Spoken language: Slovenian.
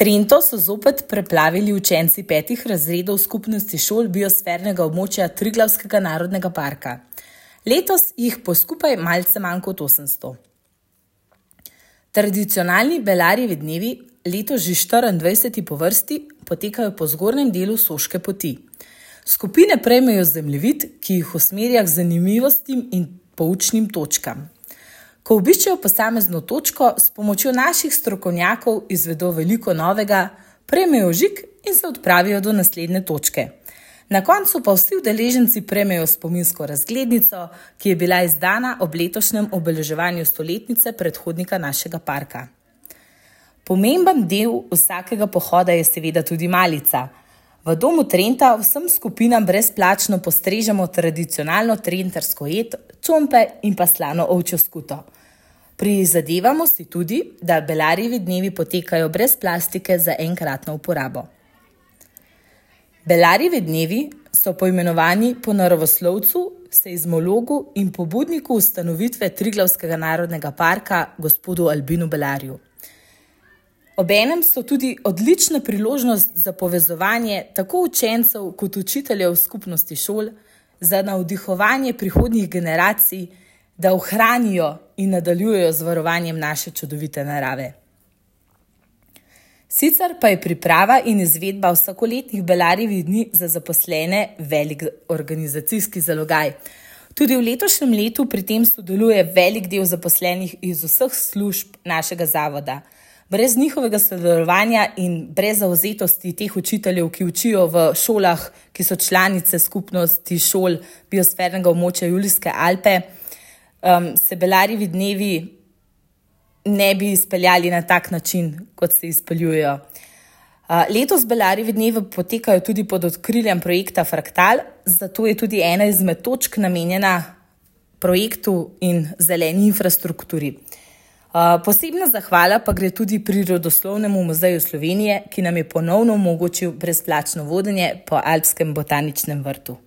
Trento so zopet preplavili učenci 5 razredov skupnosti šol biosfernega območja Triglavskega narodnega parka. Letos jih po skupaj malce manj kot 800. Tradicionalni Belarjevi dnevi, letos že 24. po vrsti, potekajo po zgornjem delu Soške poti. Skupine prejmejo zemljevid, ki jih usmerja k zanimivostim in poučnim točkam. Ko obiščejo posamezno točko, s pomočjo naših strokovnjakov izvedo veliko novega, prejmejo žig in se odpravijo do naslednje točke. Na koncu pa vsi udeleženci prejmejo spominsko razglednico, ki je bila izdana ob letošnjem obeleževanju stoletnice predhodnika našega parka. Pomemben del vsakega pohoda je seveda tudi malica. V domu Trenta vsem skupinam brezplačno postrežemo tradicionalno trentarsko jed, čompe in pa slano ovčjo skuto. Prizadevamo si tudi, da Belarjevi dnevi potekajo brez plastike za enkratno uporabo. Belarjevi dnevi so poimenovani po naravoslovcu, seizmologu in pobudniku ustanovitve Triglavskega narodnega parka, gospodu Albinu Belarju. Obenem so tudi odlična priložnost za povezovanje tako učencev kot učiteljev skupnosti šol, za navdihovanje prihodnjih generacij, da ohranijo in nadaljujejo z varovanjem naše čudovite narave. Sicer pa je priprava in izvedba vsakoletnih Belarjevih dni za zaposlene velik organizacijski zalogaj. Tudi v letošnjem letu pri tem sodeluje velik del zaposlenih iz vseh služb našega zavoda. Brez njihovega sodelovanja in brez zavzetosti teh učiteljev, ki učijo v šolah, ki so članice skupnosti šol biosfernega območja Julijske Alpe, se Belarjevi dnevi ne bi izpeljali na tak način, kot se izpeljujejo. Letos Belarjevi dnevi potekajo tudi pod okriljem projekta Fraktal, zato je tudi ena izmed točk namenjena projektu in zeleni infrastrukturi. Posebna zahvala pa gre tudi Prirodoslovnemu muzeju Slovenije, ki nam je ponovno omogočil brezplačno vodenje po Alpskem botaničnem vrtu.